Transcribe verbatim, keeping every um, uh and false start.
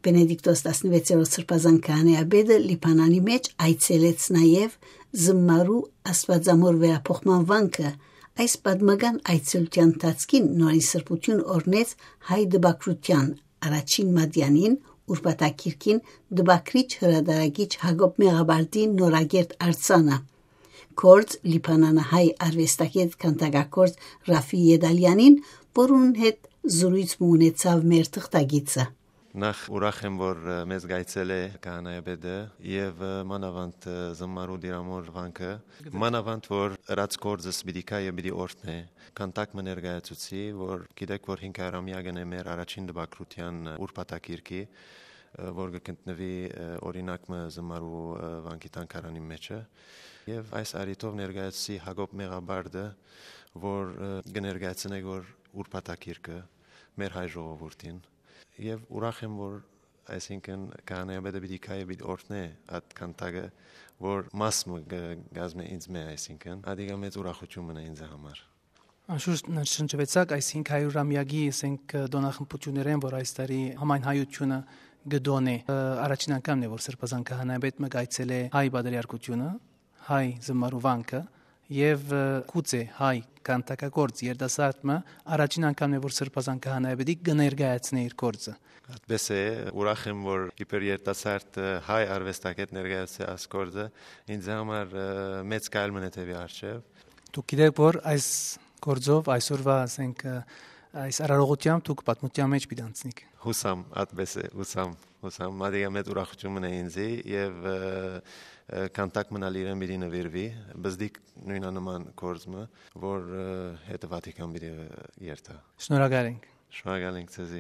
Բենեդիկտոս տասնվեցերորդ սրբազան քահանայապետը Լիբանանի մէջ այցելեց նաեւ զմարու աստուածամոր վերափոխման վանքը։ Այս պատմական այցելութեան ընթացքին նորին սրբութիւն օրհնեց հայ դպագրութեան առաջին մատեանին, ուրբաթագիրքին, դպագրիչ հրատարակիչ Յակոբ Մեղաբարդի նորագերտ արձանը, գործ Լիբանանահայ արուեստագետ քանդակագործ Ռաֆի Ետալեանին, որուն հետ զրոյց մը ունեցաւ մեր թղթակիցը։ Նախ ուրախ եմ, որ, ը, մեզ գայցել է քահանայապետը եւ, ը, մանավանդ, ը, զմարու դիրամոր վանքը, մանավանդ, որ ըրած գործս պիտի գայ եւ պիտի օրհնէ, քանդակ մը ներկայացուցի, որ գիտեք, որ հինգ հարյուրամեակն է մեր առաջին տպագրութեան, ը, ուրբաթագիրքի, ը, որ կը գտնուի, ը, օրինակ մը զմարու, ը, վանքի թանգարանի մեջը։ Եւ այս առիթով ներկայացուցի Յակոբ Մեղաբարդը, որ, ը, կը ներկայացնէ, որ ուրբաթագիրքը մեր հայ ժողովուրդին։ Եւ ուրախ եմ, որ այսինքն քահանայապետը պիտի գայ եւ պիտի օրհնէ այդ քանդակը, որ մաս մը կը կազմէ ինձ մէ, այսինքն, ադիկա մեծ ուրախութիւն մնա ինձ համար։ Անշուշտ նշնջուեցաք այս հինգ հարիւրամեակի, ասենք, տօնախմբութիւններէն, որ այս տարի համայն հայությունը կը տոնէ։ Ը, առաջին անգամն է, որ սրբազան քահանայապետ մը կայցելէ հայ պատրիարքությունը, հայ զմարու վանքը, եւ, ը, գուցե հայ քանդակագործ երիտասարդ մը առաջին անգամն է, որ սրբազան քահանայապետի կը ներկայացնէ իր գործը։ Այդպես է, ուրախ եմ, որ իբր երիտասարդ, ը, հայ արուեստագետ ներկայացուցի այս գործը, ինձ համար, ը, մեծ քայլ մնա դեպի առջեւ։ Դուք գիտեք, որ այս գործով այսօրվա, ասենք, ը, այս արարողությամբ դուք պատմութեան մէջ պիտի անցնիք։ Հուսամ, այդպես է, հուսամ, հուսամ, մատիկա մեծ ուրախութիւն մնա ինձի եւ, ը, ը, քանդակ մնալ իրեն պիտի նվիրվի, բզդիկ նոյնանման գործ մը, որ, ը, հետը Վատիկան պիտի երթայ։ Շնորհակալ ենք։ Շնորհակալ ենք ձեզի։